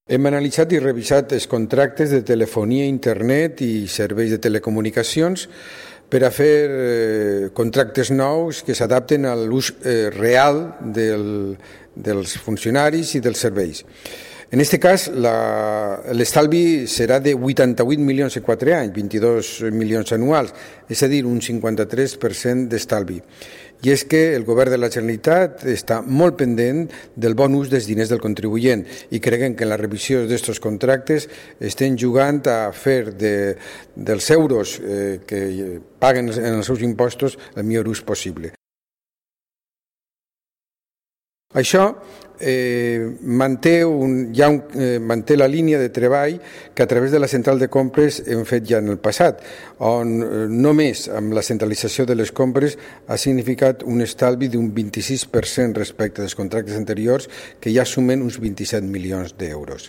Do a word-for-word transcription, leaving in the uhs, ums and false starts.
Hem analitzat i revisat els contractes de telefonia, internet i serveis de telecomunicacions per a fer eh, contractes nous que s'adapten a l'ús eh, real del, dels funcionaris i dels serveis. En aquest cas, l'estalvi serà de vuitanta-vuit milions en quatre anys, vint-i-dos milions anuals, és a dir, un cinquanta-tres per cent d'estalvi. I és que el govern de la Generalitat està molt pendent del bon ús dels diners del contribuent i creuen que en la revisió d'aquests contractes estem jugant a fer de, dels euros eh, que paguen en els seus impostos el millor ús possible. Això eh, manté, un, ja un, eh, manté la línia de treball que a través de la central de compres hem fet ja en el passat, on eh, només amb la centralització de les compres ha significat un estalvi d'un vint-i-sis per cent respecte dels contractes anteriors que ja sumen uns vint-i-set milions d'euros.